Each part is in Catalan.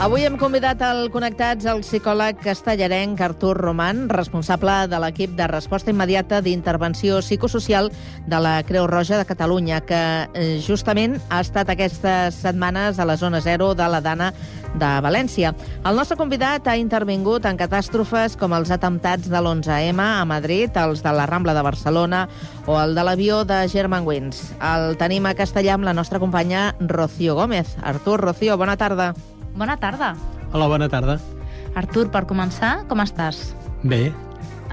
Avui hem convidat al Connectats el psicòleg castellarenc Artur Roman, responsable de l'equip de resposta immediata d'intervenció psicosocial de la Creu Roja de Catalunya, que justament ha estat aquestes setmanes a la zona 0 de la Dana de València. El nostre convidat ha intervingut en catàstrofes com els atemptats de l'11M a Madrid, els de la Rambla de Barcelona o el de l'avió de Germanwings. El tenim a castellà amb la nostra companya Rocío Gómez. Artur, Rocío, bona tarda. Bona tarda. Hola, bona tarda. Artur, per començar, com estàs? Bé.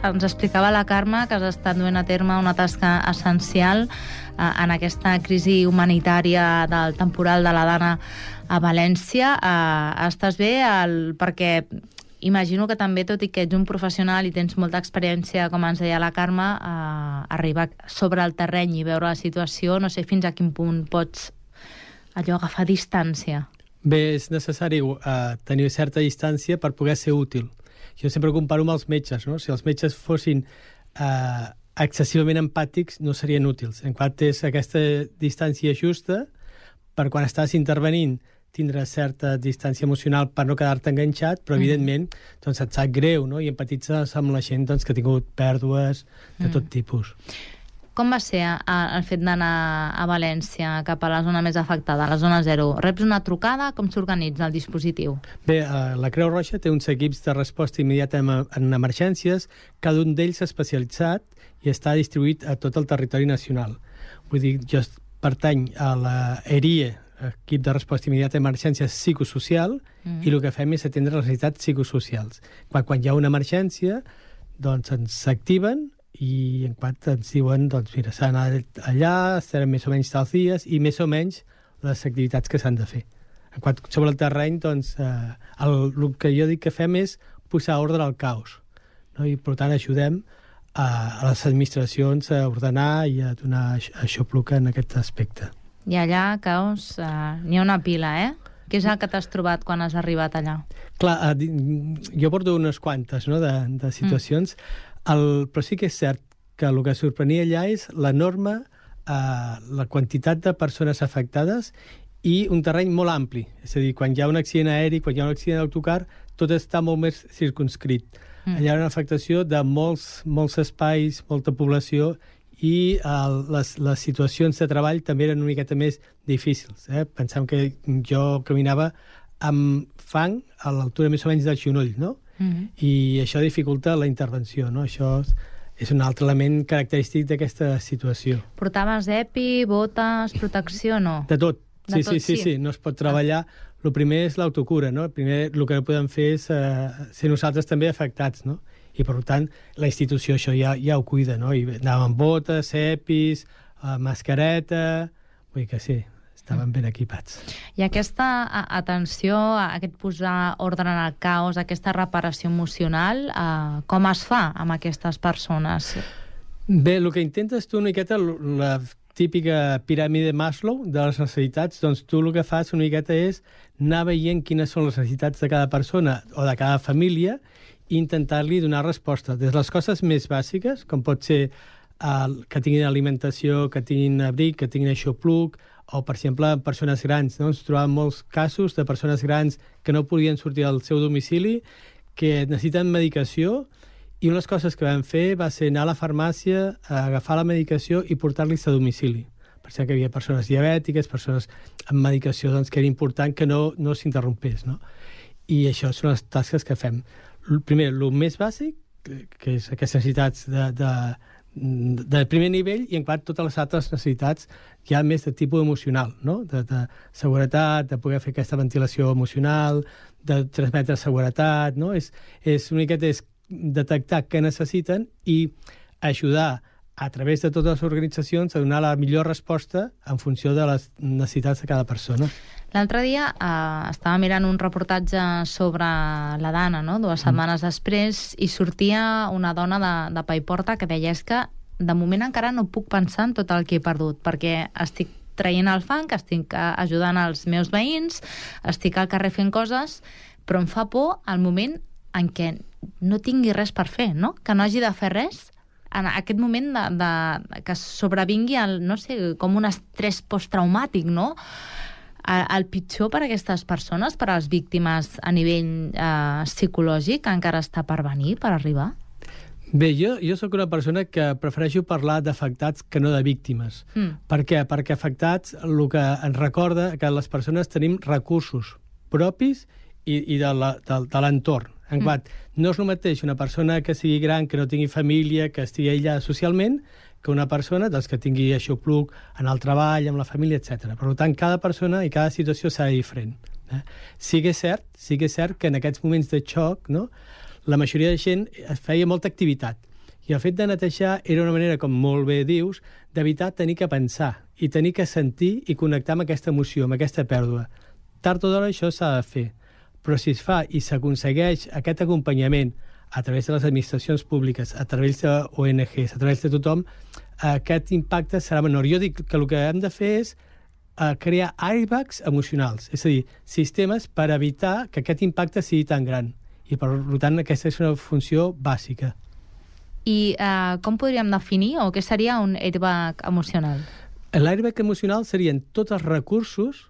Ens explicava la Carme que has estat duent a terme una tasca essencial en aquesta crisi humanitària del temporal de la Dana a València. Estàs bé? Perquè imagino que també, tot i que ets un professional i tens molta experiència, com ens deia la Carme, arribar sobre el terreny i veure la situació, no sé fins a quin punt pots agafar distància. Bé, és necessari tenir certa distància per poder ser útil. Jo sempre comparo amb els metges, no? Si els metges fossin excessivament empàtics, no serien útils. En quant és aquesta distància justa, per quan estàs intervenint, tindre certa distància emocional per no quedar-te enganxat, però evidentment doncs, et sap greu, no? I empatitzes amb la gent doncs, que ha tingut pèrdues de tot tipus. Com va ser el fet d'anar a València, cap a la zona més afectada, la zona 0? Reps una trucada? Com s'organitza el dispositiu? Bé, la Creu Roja té uns equips de resposta immediata en emergències, cada un d'ells especialitzat i està distribuït a tot el territori nacional. Vull dir, jo pertany a la ERIE, equip de resposta immediata a emergències psicosocial, i el que fem és atendre les necessitats psicosocials. Quan hi ha una emergència, doncs ens s'activen i en quant ens diuen, doncs mira, s'ha d'anar allà, estarem més o menys tals dies i més o menys les activitats que s'han de fer. En quant sobre el terreny, doncs, el que jo dic que fem és posar ordre al caos, no? I per tant ajudem a les administracions a ordenar i a donar aixopluc en aquest aspecte. I allà, caos, n'hi ha una pila, eh? Què és el que t'has trobat quan has arribat allà? Clar, jo porto unes quantes, no, de situacions, però sí que és cert que el que sorprenia allà és l'enorme la quantitat de persones afectades i un terreny molt ampli. És a dir, quan hi ha un accident aeri, quan hi ha un accident d'autocar, tot està molt més circunscrit. Allà hi ha una afectació de molts espais, molta població, i les situacions de treball també eren una miqueta més difícils. Pensem que jo caminava amb fang a l'altura més o menys del genoll, no? I això dificulta la intervenció, no? Això és un altre element característic d'aquesta situació. Portaves EPI, botes, protecció, no? De tot. Sí. No es pot treballar. El primer és l'autocura, no? El que no podem fer és ser nosaltres també afectats, no? I, per tant, la institució això ja ho cuida, no? I anàvem amb botes, EPIs, mascareta... Vull dir que sí, estaven ben equipats. I aquesta atenció, aquest posar ordre en el caos, aquesta reparació emocional, com es fa amb aquestes persones? Bé, el que intentes tu una miqueta, la típica piràmide Maslow de les necessitats, doncs tu el que fas una miqueta és anar veient quines són les necessitats de cada persona o de cada família i intentar-li donar resposta. Des de les coses més bàsiques, com pot ser que tinguin alimentació, que tinguin abric, que tinguin aixopluc, o, per exemple, persones grans. No? Ens trobàvem molts casos de persones grans que no podien sortir del seu domicili, que necessiten medicació, i unes coses que vam fer va ser anar a la farmàcia, a agafar la medicació i portar-los a domicili. Per exemple, que hi havia persones diabètiques, persones amb medicació, doncs, que era important que no s'interrompés. No? I això són les tasques que fem. Primer, el més bàsic, que és aquestes necessitats de primer nivell, i en quant totes les altres necessitats ja més de tipus emocional, no? De seguretat, de poder fer aquesta ventilació emocional, de transmetre seguretat, no? És una miqueta detectar què necessiten i ajudar a través de totes les organitzacions a donar la millor resposta en funció de les necessitats de cada persona. L'altre dia estava mirant un reportatge sobre la Dana, no? 2 setmanes després, i sortia una dona de Paiporta que deia que de moment encara no puc pensar en tot el que he perdut, perquè estic traient el fang, estic ajudant els meus veïns, estic al carrer fent coses, però em fa por el moment en què no tingui res per fer, no? Que no hagi de fer res en aquest moment que sobrevingui no sé, com un estrès posttraumàtic, no? El pitjor per a aquestes persones, per a les víctimes a nivell psicològic, encara està per venir, per arribar? Bé, jo sóc una persona que prefereixo parlar d'afectats que no de víctimes. Per què? Perquè afectats el que ens recorda que les persones tenim recursos propis i de l'entorn. En quant, no és el mateix una persona que sigui gran, que no tingui família, que estigui aïllada socialment, que una persona que tingui aixopluc en el treball, amb la família, etc. Per tant, cada persona i cada situació serà diferent. Sí que és cert que en aquests moments de xoc, no, la majoria de gent feia molta activitat. I el fet de netejar era una manera, com molt bé dius, d'evitar tenir que pensar i tenir que sentir i connectar amb aquesta emoció, amb aquesta pèrdua. Tard o d'hora això s'ha de fer. Però si es fa i s'aconsegueix aquest acompanyament a través de les administracions públiques, a través d'ONGs, a través de tothom, aquest impacte serà menor. Jo dic que el que hem de fer és crear airbags emocionals, és a dir, sistemes per evitar que aquest impacte sigui tan gran. I, per tant, aquesta és una funció bàsica. I com podríem definir o què seria un airbag emocional? L'airbag emocional serien tots els recursos,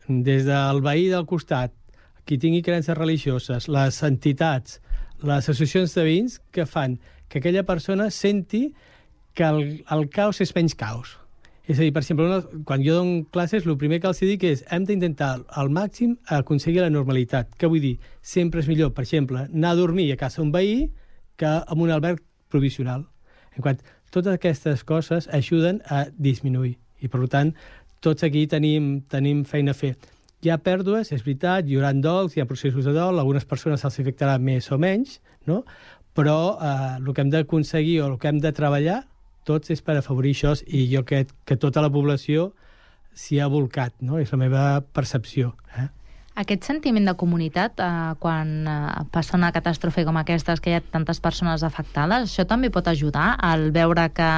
des del veí del costat, qui tingui creences religioses, les entitats, les associacions de veïns, que fan que aquella persona senti que el caos és menys caos. És a dir, per exemple, quan jo dono classes, el primer que els dic és hem d'intentar al màxim aconseguir la normalitat. Què vull dir? Sempre és millor, per exemple, anar a dormir a casa un veí que en un alberg provisional. En quant, totes aquestes coses ajuden a disminuir. I, per tant, tots aquí tenim feina a fer. Hi ha pèrdues, és veritat, hi haurà dols, hi ha processos de dol, algunes persones se'ls afectarà més o menys, no? Però el que hem d'aconseguir o el que hem de treballar tots és per afavorir això, i jo crec que tota la població s'hi ha volcat, no? És la meva percepció. Aquest sentiment de comunitat, quan passa una catàstrofe com aquestes, que hi ha tantes persones afectades, això també pot ajudar al veure que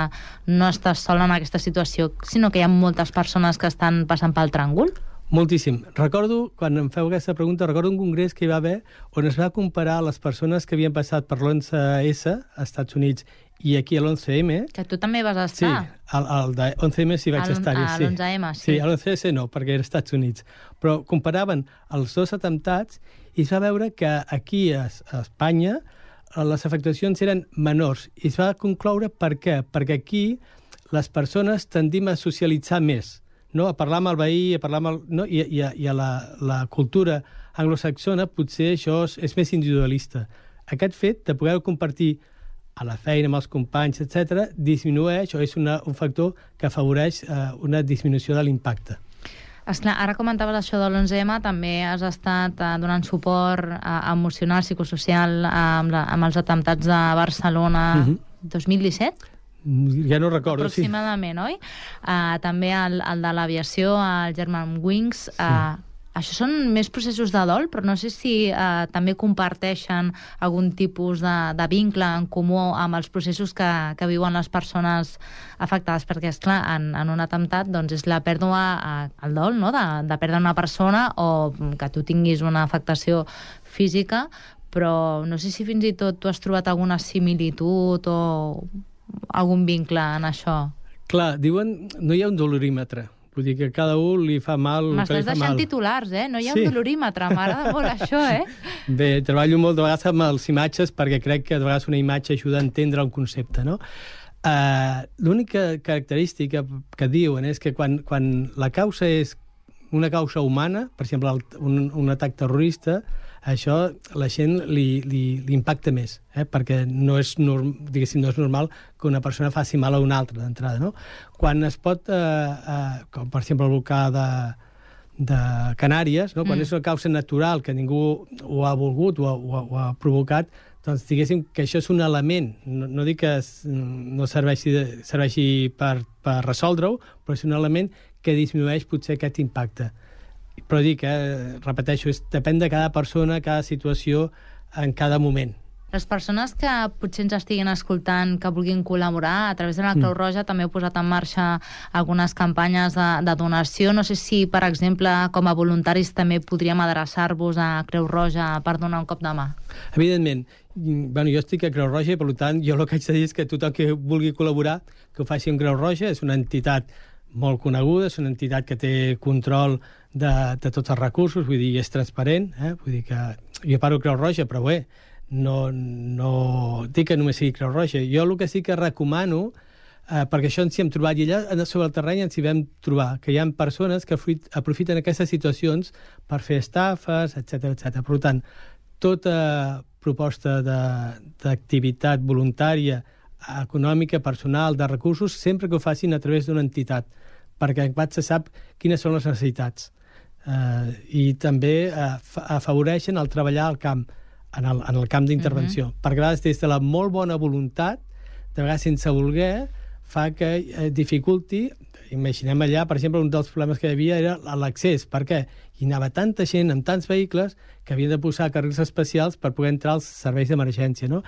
no estàs sol en aquesta situació, sinó que hi ha moltes persones que estan passant pel tràngol? Moltíssim. Recordo, quan em feu aquesta pregunta, recordo un congrés que hi va haver on es va comparar les persones que havien passat per l'11S als Estats Units i aquí a l'11M. Que tu també vas estar. Sí, al de 11M sí vaig estar-hi. A l'11M, sí. Sí, a l'11S no, perquè era als Estats Units. Però comparaven els dos atemptats i es va veure que aquí a Espanya les afectacions eren menors. I es va concloure per què? Perquè aquí les persones tendim a socialitzar més, no? A parlar amb el veí, a parlar amb el... No? I a la cultura anglosaxona potser això és més individualista. Aquest fet de poder compartir a la feina amb els companys, etc., disminueix o és un factor que afavoreix una disminució de l'impacte. Esclar, ara comentaves això de l'11M, també has estat donant suport emocional, psicosocial amb els atemptats de Barcelona 2017? Ja no recordo, aproximadament, sí. Oi? També el de l'aviació, el Germanwings. Sí. Això són més processos de dol, però no sé si també comparteixen algun tipus de vincle en comú amb els processos que viuen les persones afectades, perquè, esclar, en un atemptat doncs, és la pèrdua, el dol, no? de perdre una persona o que tu tinguis una afectació física, però no sé si fins i tot tu has trobat alguna similitud o algun vincle en això. Clar, diuen no hi ha un dolorímetre. Vull dir que cada un li fa mal el que li fa mal. M'estàs deixant titulars, No hi ha un dolorímetre, m'agrada molt això, Bé, treballo molt de vegades amb les imatges perquè crec que de vegades una imatge ajuda a entendre un concepte, no? L'única característica que diuen és que quan la causa és una causa humana, per exemple, un atac terrorista, això la gent li impacta més, perquè no és normal que una persona faci mal a una altra d'entrada, no? Quan es pot, com per exemple el volcà de Canàries, no? Quan és una causa natural que ningú ho ha volgut o ha provocat, doncs diguéssim que això és un element, no dic que no serveixi per resoldre-ho, però és un element que disminueix potser aquest impacte. Però dic, repeteixo, depèn de cada persona, cada situació, en cada moment. Les persones que potser ens estiguin escoltant, que vulguin col·laborar, a través de la Creu Roja també heu posat en marxa algunes campanyes de donació. No sé si, per exemple, com a voluntaris també podríem adreçar-vos a Creu Roja per donar un cop de mà. Evidentment. Bueno, jo estic a Creu Roja i, per tant, jo el que haig de dir és que tothom que vulgui col·laborar, que ho faci en Creu Roja, és una entitat molt coneguda, és una entitat que té control de tots els recursos, vull dir, és transparent, vull dir que jo parlo Creu Roja, però bé, no dic que només sigui Creu Roja. Jo el que sí que recomano, perquè això ens hi hem trobat, i allà sobre el terreny ens hi vam trobar, que hi ha persones que aprofiten aquestes situacions per fer estafes, etc. Per tant, tota proposta d'activitat voluntària, econòmica, personal, de recursos, sempre que ho facin a través d'una entitat, perquè en se sap quines són les necessitats. I també afavoreixen el treballar al camp, en el camp d'intervenció. Perquè a vegades des de la molt bona voluntat, de vegades sense voler, fa que dificulti. Imaginem allà, per exemple, un dels problemes que hi havia era l'accés. Per què? Hi anava tanta gent amb tants vehicles que havien de posar carrils especials per poder entrar als serveis d'emergència, no?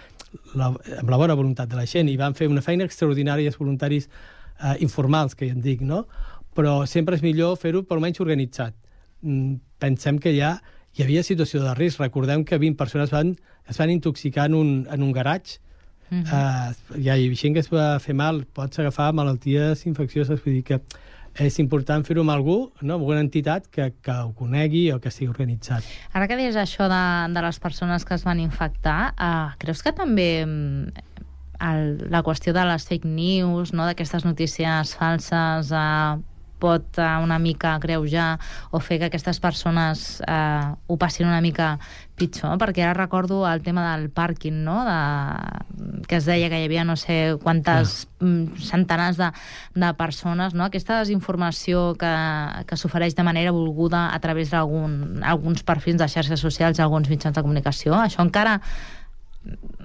Amb la bona voluntat de la gent. I van fer una feina extraordinària els voluntaris informals, que ja en dic, no? Però sempre és millor fer-ho per almenys organitzat. Pensem que ja hi havia situació de risc. Recordem que 20 persones es van intoxicar en un garatge. Hi ha gent que es va fer mal, pots agafar malalties infeccioses, vull dir que és important fer-ho amb algú, no? Amb una entitat que ho conegui o que estigui organitzat. Ara que deies això de les persones que es van infectar, creus que també la qüestió de les fake news, no? D'aquestes notícies falses, pot una mica greujar o fer que aquestes persones ho passin una mica pitjor? Perquè ara recordo el tema del pàrquing, no? Que es deia que hi havia no sé quantes centenars de persones, no? Aquesta desinformació que s'ofereix de manera volguda a través d'alguns perfils de xarxes socials, alguns mitjans de comunicació, això encara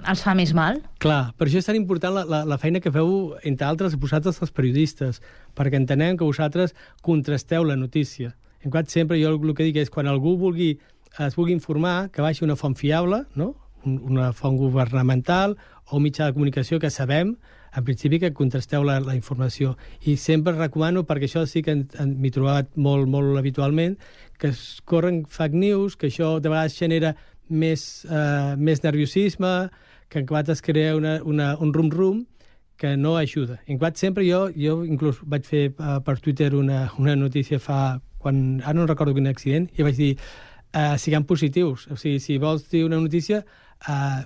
els fa més mal? Clar, per això és tan important la feina que feu, entre altres, vosaltres els periodistes, perquè entenem que vosaltres contrasteu la notícia. En quant sempre jo el que dic és quan algú es vulgui informar, que vagi a una font fiable, no? Una font governamental o un mitjà de comunicació que sabem, en principi, que contrasteu la informació. I sempre recomano, perquè això sí que m'he trobat molt, molt habitualment, que es corren fake news, que això de vegades genera més nerviosisme, que en quant es crea un rum-rum que no ajuda. En quant sempre jo inclús vaig fer per Twitter una notícia ara no recordo quin accident, i vaig dir siguem positius, o sigui, si vols dir una notícia,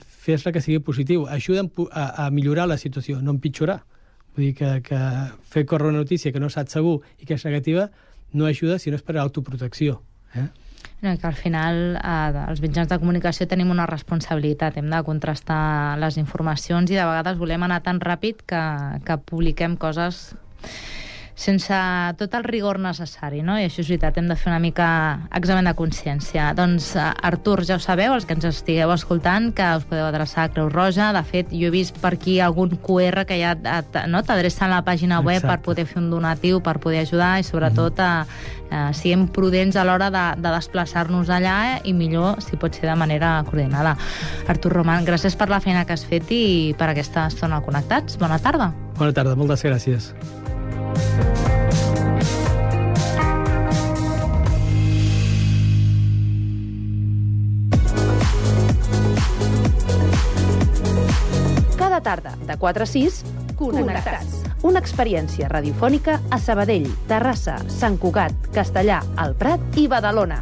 fes-la que sigui positiu, ajuda a millorar la situació, no empitjorar. Vull dir que fer córrer una notícia que no saps segur i que és negativa no ajuda, sinó és per autoprotecció. No, que al final els mitjans de comunicació tenim una responsabilitat, hem de contrastar les informacions i de vegades volem anar tan ràpid que publiquem coses sense tot el rigor necessari, no? I això és veritat, hem de fer una mica examen de consciència. Doncs, Artur, ja ho sabeu, els que ens estigueu escoltant, que us podeu adreçar a Creu Roja. De fet, jo he vist per aquí algun QR que ja t'adreça a la pàgina web per poder fer un donatiu, per poder ajudar i, sobretot, siguem prudents a l'hora de desplaçar-nos allà i millor, si pot ser de manera coordinada. Artur Roman, gràcies per la feina que has fet i per aquesta estona connectats. Bona tarda. Bona tarda, moltes gràcies. Cada tarda, de 4 a 6, Connectats. Una experiència radiofònica a Sabadell, Terrassa, Sant Cugat, Castellà, el Prat i Badalona.